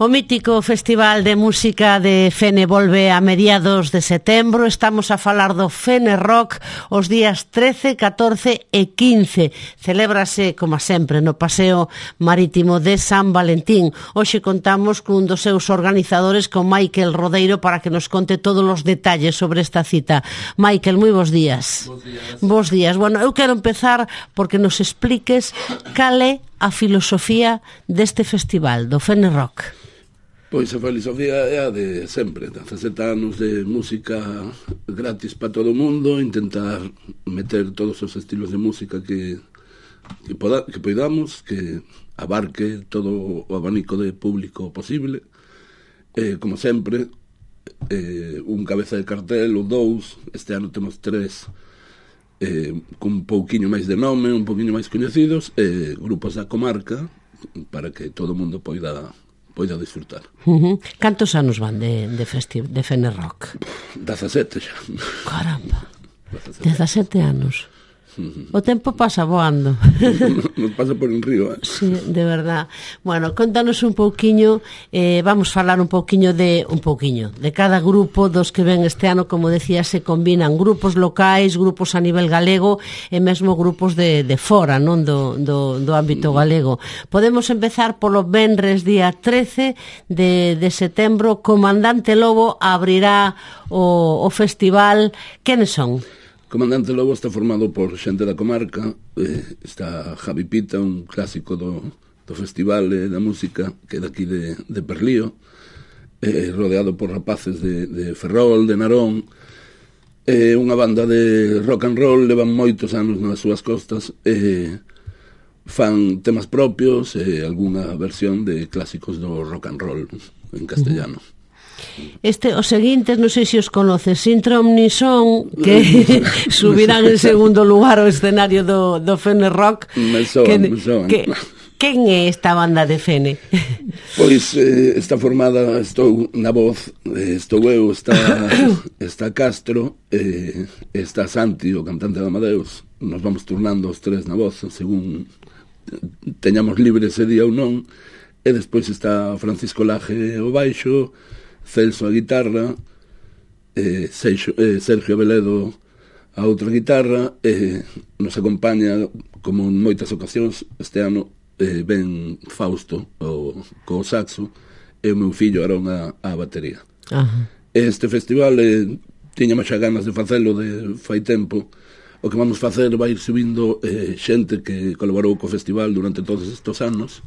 O mítico Festival de Música de Fene volve a mediados de setembro. Estamos a falar do Fene Rock os días 13, 14 e 15. Celébrase, como sempre, no Paseo Marítimo de San Valentín. Hoxe contamos cun dos seus organizadores, con Michael Rodeiro, para que nos conte todos os detalles sobre esta cita. Michael, moi bons días. Bos días. Bos días. Bueno, eu quero empezar porque nos expliques cal é a filosofía deste festival, do Fene Rock. Pois a filosofía é a de sempre, 17 anos de música gratis para todo o mundo, intentar meter todos os estilos de música que poidamos, que abarque todo o abanico de público posible. Como sempre, un cabeza de cartel ou dous, este ano temos 3, con un pouquiño máis de nome, un pouquiño máis coñecidos, grupos da comarca, para que todo o mundo poida disfrutar. Cantos anos van de Fene Rock? 17 xa. Caramba, 17 anos. O tempo pasa voando. Nos pasa por un río, Sí, de verdad. Bueno, contanos un pouquiño, vamos falar un pouquiño de cada grupo dos que ven este ano. Como decía, se combinan grupos locais, grupos a nivel galego e mesmo grupos de fora, non do ámbito galego. Podemos empezar polo venres día 13 de setembro. Comandante Lobo abrirá o festival. Quenes son? Comandante Lobo está formado por xente da comarca, está Javi Pita, un clásico do festival da música, que é daqui de Perlío, rodeado por rapaces de Ferrol, de Narón, unha banda de rock and roll, levan moitos anos nas súas costas, fan temas propios, algunha versión de clásicos do rock and roll en castellano. Os seguintes, non sei se os conoces, Sintrom Nison, que subirán en segundo lugar ao escenario do Fene Rock. Me soan. Quen é esta banda de Fene? Pois está formada, estou na voz, estou eu, está Castro, está Santi, o cantante de Amadeus. Nos vamos turnando os tres na voz, según teñamos libre ese día ou non. E despois está Francisco Laje o baixo, Celso a guitarra, Sergio Abeledo a outra guitarra, nos acompaña, como en moitas ocasións, este ano ben Fausto co saxo e o meu fillo Arón a batería. Este festival tiñamos xa ganas de facelo de fai tempo. O que vamos facer vai ir subindo xente que colaborou co festival durante todos estes anos.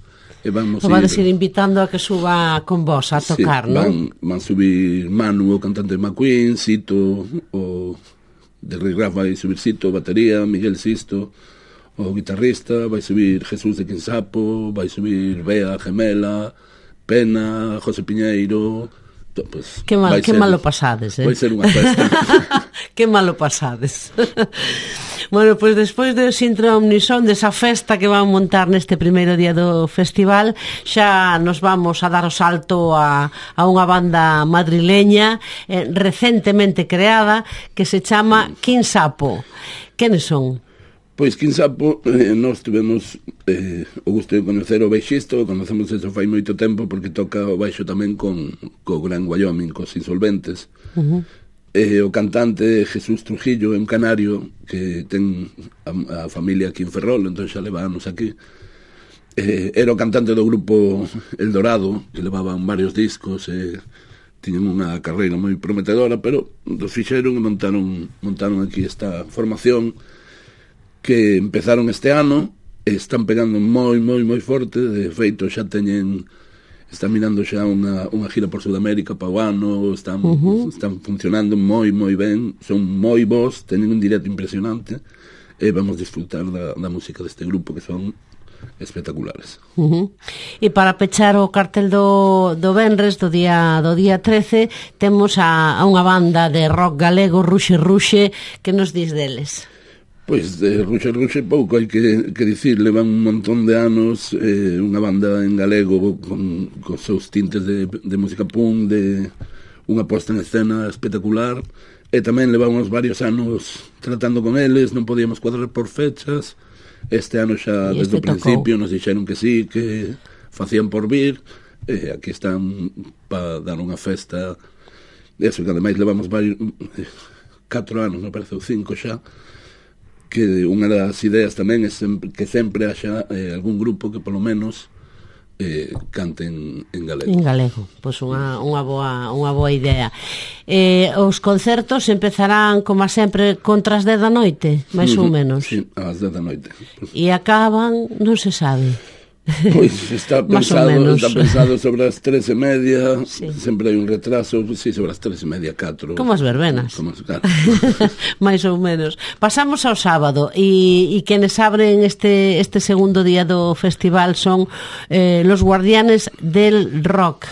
Vades ir invitando a que suba con vos a tocar, non? Van subir Manu, o cantante de McQueen, Sito, o de Rick Raff vai subir Sito, batería, Miguel Sisto, o guitarrista, vai subir Jesús de Quinsapo, vai subir Bea Gemela, Pena, José Piñeiro. Pues, que malo pasades, Vai ser unha festa. Que malo pasades. Bueno, pois despois do Sintrom Nison, desa festa que van montar neste primeiro día do festival, xa nos vamos a dar o salto a unha banda madrileña recentemente creada, que se chama Quinsapo. Quenes son? Pois Quinsapo, nós tivemos o gusto de conocer o baixista, conocemos eso fai moito tempo, porque toca o baixo tamén co Gran Wyoming, cos Insolventes. O cantante Jesús Trujillo é un canario que ten a familia aquí en Ferrol, entón xa leva anos aquí. Era o cantante do grupo El Dorado, que levaban varios discos, tiñen unha carreira moi prometedora, pero dos fixeron e montaron aquí esta formación que empezaron este ano, están pegando moi forte. De feito xa están mirando xa unha gira por Sudamérica para o ano, están funcionando moi ben, son moi bons, teñen un directo impresionante e vamos disfrutar da música deste grupo, que son espectaculares. E para pechar o cartel do venres, do día 13, temos a unha banda de rock galego, Ruxe, que nos dis deles? Pois de Ruxe pouco hai que dicir, levan un montón de anos, unha banda en galego con seus tintes de música punk, de unha posta en escena espectacular, e tamén levamos varios anos tratando con eles, non podíamos cuadrar por fechas. Este ano xa desde o principio nos dixeron que sí, que facían por vir, aquí están para dar unha festa, eso, que ademais levamos 4 anos, me parece, ou 5 xa, que unha das ideas tamén é que sempre haxa algún grupo que polo menos canten en galego. En galego, pois unha boa idea. Os concertos empezarán, como sempre, contra as 10 da noite, máis ou menos. Sí, ás 10 da noite. E acaban, non se sabe. Pois está pensado sobre as 3:30, sí. Sempre hai un retraso, sí, sobre as 3:30, 4. Como as verbenas. Claro. Mais ou menos. Pasamos ao sábado e quenes abren este segundo día do festival son los Guardianes del Rock.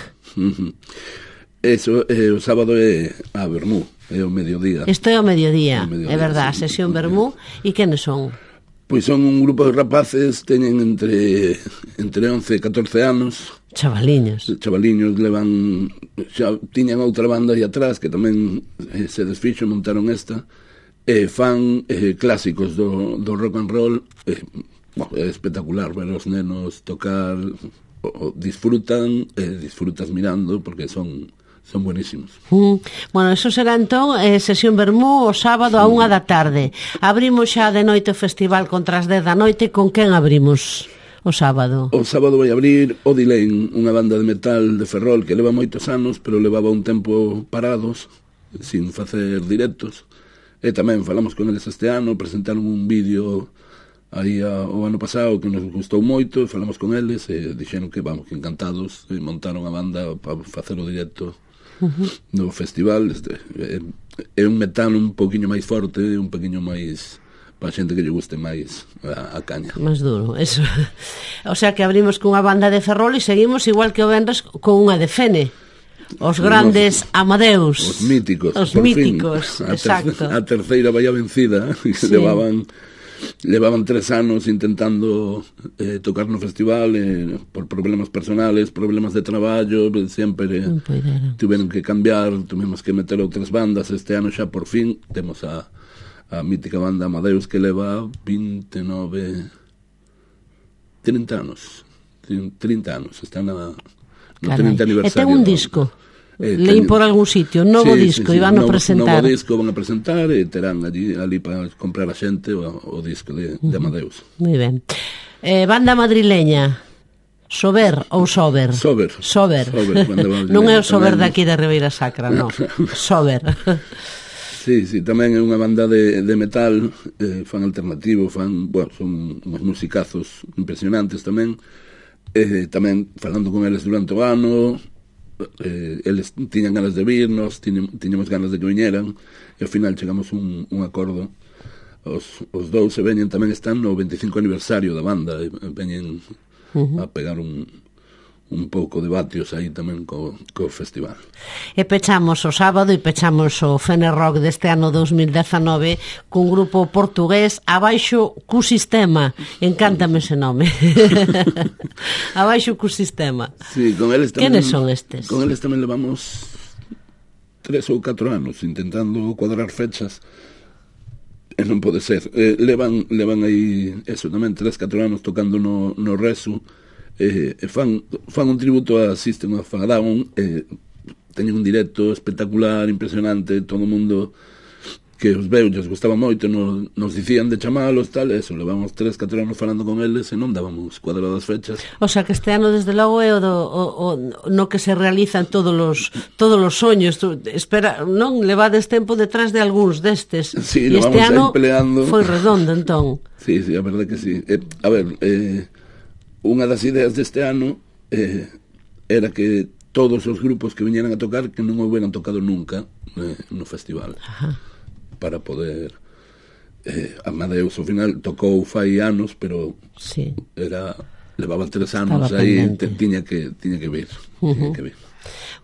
Eso, o sábado é a Vermú, é o mediodía. Isto é o mediodía, é verdad, sí. A sesión Vermú. E quenes son? Pois son un grupo de rapaces, teñen entre 11 e 14 anos. Chavaliños, xa tiñan outra banda aí atrás que tamén se desfixo, montaron esta, fan clásicos do rock and roll. É espectacular ver os nenos tocar, disfrutas mirando, porque son buenísimos. Bueno, eso será entón sesión Vermú o sábado a 1 da tarde. Abrimos xa de noite o festival contra as 10 da noite. Con quen abrimos o sábado? O sábado vai abrir Odilane, unha banda de metal de Ferrol que leva moitos anos, pero levaba un tempo parados, sin facer directos. E tamén falamos con eles este ano, presentaron un vídeo aí o ano pasado que nos gustou moito, falamos con eles e dixeron que vamos, que encantados, e montaron a banda para facer o directo no festival. É un metal un poquinho máis forte, un poquinho máis para a xente que lle guste máis a caña. Máis duro, eso. O sea que abrimos cunha banda de Ferrol e seguimos igual que o venres con unha de Fene. Os grandes Amadeus. Os míticos. Os míticos, exacto. A terceira vai a vencida, que sí. Levaban 3 anos intentando tocar no festival, por problemas personales, problemas de traballo, sempre tiveron que cambiar, tuvimos que meter outras bandas. Este ano xa por fin temos a mítica banda Amadeus, que leva 30 anos, está no 30 aniversario. E ten un disco. Leín por algún sitio, novo disco, iban a presentar. Novo disco van a presentar e terán ali para comprar a xente o disco de Amadeus. Moi ben. Banda madrileña, Sober ou Sober? Sober. Non é o Sober daqui da Ribeira Sacra, non. Sober. Sí, tamén é unha banda de metal, fan alternativo, son uns musicazos impresionantes tamén. Tamén falando con eles durante o ano, eles tiñan ganas de virnos, tiñamos ganas de que viñeran, e ao final chegamos un acordo. Os dous se veñen, tamén están no 25 aniversario da banda, e veñen a pegar un pouco de vatios aí tamén co festival. E pechamos o sábado e pechamos o Fene Rock deste ano 2019 cun grupo portugués, Abaixo cu Sistema. Encántame ese nome. Abaixo cu Sistema. Sí, con eles tamén. Quenes son estes? Con eles tamén levamos 3 ou 4 anos intentando cuadrar fechas e non pode ser. Levan aí eso tamén 3-4 anos tocando no Resu. Fan un tributo a System of a Down, teñen un directo espectacular, impresionante, todo o mundo que os veu, lles gustaba moito, nos dicían de chamalos, tal, eso, levamos 3-4 anos falando con eles e non dábamos cuadradas fechas. O sea que este ano desde logo é no que se realizan todos os soños. Espera, non levades tempo detrás de algúns destes. Sí, e este ano foi redondo, entón. Sí, a verdade que sí. A ver, unha das ideas deste ano era que todos os grupos que viñeran a tocar que non houberan tocado nunca no festival. Ajá. Para poder Amadeus ao final tocou fai anos, pero sí. Levaba 3 anos aí, tiña que vir.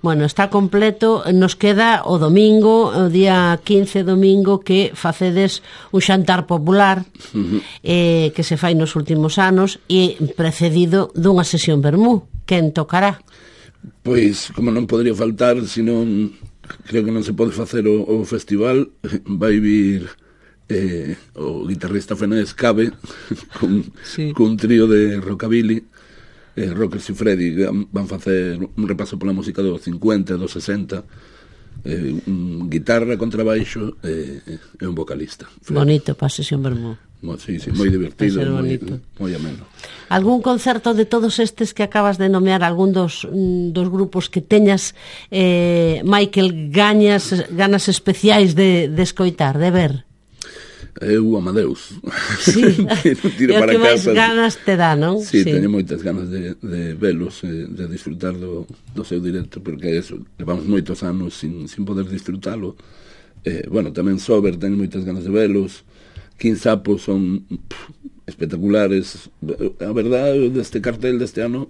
Bueno, está completo. Nos queda o domingo, o día 15 domingo, que facedes un xantar popular que se fai nos últimos anos e precedido dunha sesión Vermú. Quen tocará? Pois, como non podría faltar, senón creo que non se pode facer o festival, vai vir o guitarrista Fenés Cabe cun trío de rockabilly, Rockers e Freddy van facer un repaso pola música dos 50, dos 60, guitarra, contrabaixo e un vocalista. Bonito para a sesión vermú. Sí, moi divertido, moi ameno. Algún concerto de todos estes que acabas de nomear, algún dos grupos que teñas, Michael, ganas especiais de escoitar, de ver? Eu, Amadeus. Sí, é o que máis ganas te dá, non? Sí, teño moitas ganas de velos, de disfrutar do seu directo, porque eso, levamos moitos anos sin poder disfrutalo. Bueno, tamén Sober, teño moitas ganas de velos. King Sapo son espectaculares. A verdade, deste cartel deste ano,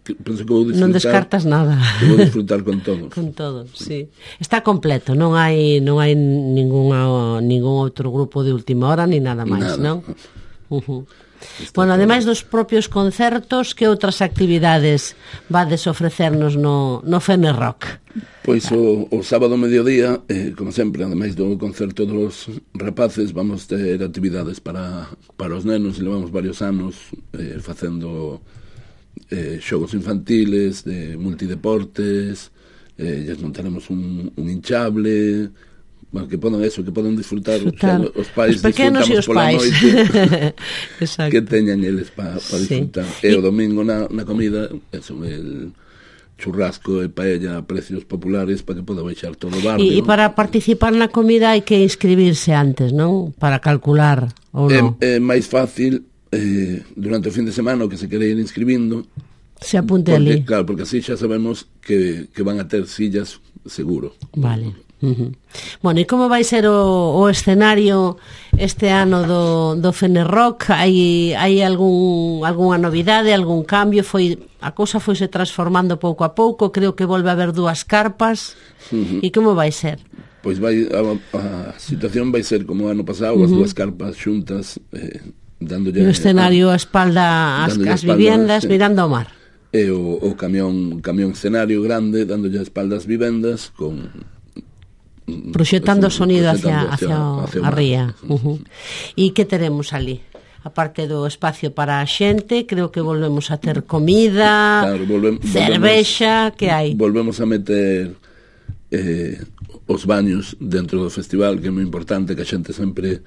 penso que vou disfrutar. Non descartas nada. Vou disfrutar con todos. Con todos, sí. Está completo, non hai ningún outro grupo de última hora ni nada máis, non? Bueno, ademais dos propios concertos, que outras actividades vades ofrecernos no Fene Rock? Pois o sábado mediodía, como sempre, ademais do concerto dos rapaces, vamos ter actividades para os nenos. Levamos varios anos facendo xogos infantiles, de multideportes, lles montaremos un hinchable, bueno, que poden disfrutar. O sea, os pais, os pequenos e os pais que teñan eles para disfrutar. E o domingo na comida, eso, el churrasco e paella a precios populares para que poda baixar todo o barrio. E para participar na comida hai que inscribirse antes, non? Para calcular, ou non? É máis fácil durante o fin de semana, o que se quere ir inscribindo, se apunte ali. Claro, porque así xa sabemos que van a ter sillas seguro. Vale. Bueno, e como vai ser o escenario este ano do Fene Rock? Hai algunha novidade, algún cambio? A cousa foise transformando pouco a pouco, creo que volve a haber 2 carpas. E como vai ser? Pois a situación vai ser como o ano pasado, as 2 carpas xuntas, dándolle o escenario a espalda as vivendas, mirando ao mar. E o camión escenario grande dándolle a espalda as vivendas, con proxectando o sonido hacia a ría. E que teremos ali? A parte do espacio para a xente, creo que volvemos a ter comida, cervexa, que hai? Volvemos a meter os baños dentro do festival, que é moi importante, que a xente sempre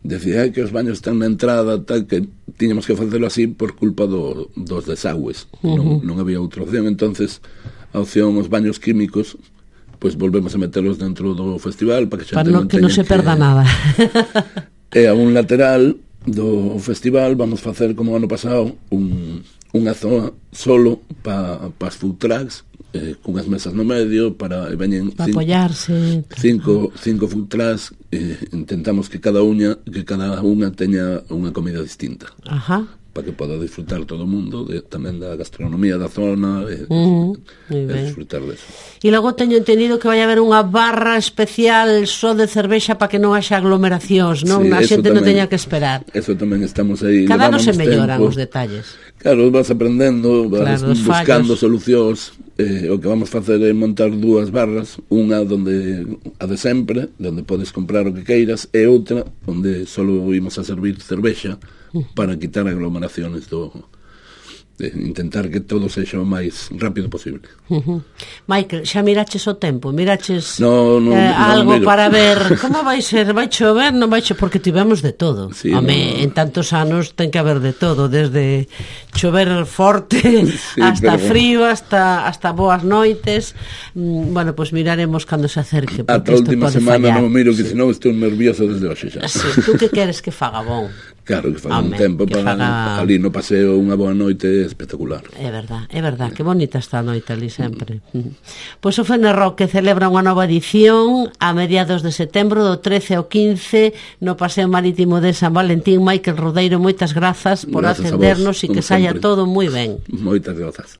decía que os baños están na entrada, tal, que tiñamos que facelo así por culpa dos desagües. Non había outra opción. Entonces a opción os baños químicos, pois volvemos a meterlos dentro do festival para que non se perda nada. E a un lateral do festival vamos facer, como o ano pasado, unha zona solo para as food trucks, cunhas mesas no medio para apoiarse, cinco food trucks. Intentamos que cada unha teña unha comida distinta. Para que poda disfrutar todo o mundo tamén da gastronomía da zona e disfrutar deso. E logo teño entendido que vai haber unha barra especial só de cervexa para que non haxa aglomeracións, non? A xente non teña que esperar. Eso tamén estamos aí. Cada ano se melloran os detalles. Claro, vas aprendendo, vas buscando solucións. O que vamos facer é montar 2 barras, unha onde a de sempre, onde podes comprar o que queiras, e outra onde só imos a servir cervexa, para quitar aglomeraciones de intentar que todo sexa o máis rápido posible. Michael, xa miraches o tempo? Miraches no algo para ver como vai ser? Vai chover? Non vai chover? Porque tivemos de todo. Sí, en tantos anos ten que haber de todo, desde chover forte hasta frío, hasta boas noites. Bueno, pois miraremos cando se acerque, porque isto pode fallar. A última semana non miro, que senón estou nervioso desde hoxe xa. Tú que queres que faga bon? Claro, que faga un tempo para ali no paseo, unha boa noite espectacular. É verdad, que bonita está a noite ali sempre. Pois o Fene Rock, que celebra unha nova edición a mediados de setembro, do 13 ao 15, no Paseo Marítimo de San Valentín. Michael Rodeiro, moitas grazas por atendernos e que saia todo moi ben. Moitas grazas.